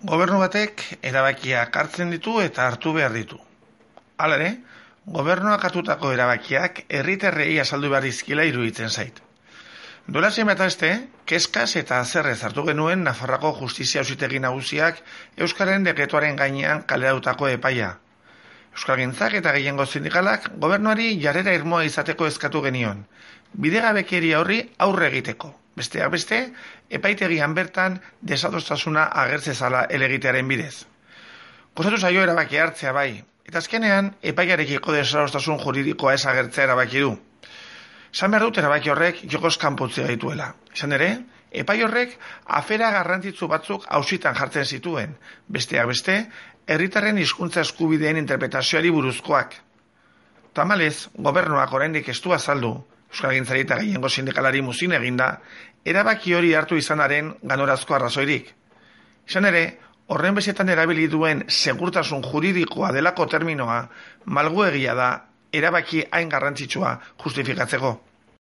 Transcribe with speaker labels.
Speaker 1: Gobernu batek erabakiak hartzen ditu eta hartu behar ditu. Hala ere, gobernuak hartutako erabakiak herritarrei azaldu behar dizkiela iruditzen zait. Duela zenbait aste, kezkaz eta azerrez hartu genuen Nafarroako Justizia Auzitegi Nagusiak Euskararen dekretuaren gainean kaleratutako epaia. Euskalgintzak eta gehiengo sindikalak gobernuari jarrera irmoa izateko eskatu genion, bidegabekeria horri aurre egiteko. Besteak beste, epaitegian bertan desadostasuna agertzezala elegitearen bidez. Kostatu zaio erabaki hartzea bai, eta azkenean epaiarekiko desadostasun juridikoa ez agertzea erabaki du. Esan behar dut erabaki horrek jokoz kanpotzea dituela. Izan ere, epai horrek afera garrantzitsu batzuk auzitan jartzen zituen, besteak beste, herritarren hizkuntza eskubideen interpretazioari buruzkoak. Tamalez, gobernuak oraindik ez du azaldu, Euskalgintzari eta gehiengo sindikalari muzin eginda, erabaki hori hartu izanaren ganorazko arrazoirik. Izan ere, horren bezetan erabili duen segurtasun juridikoa delako terminoa malguegia da erabaki hain garrantzitsua justifikatzeko.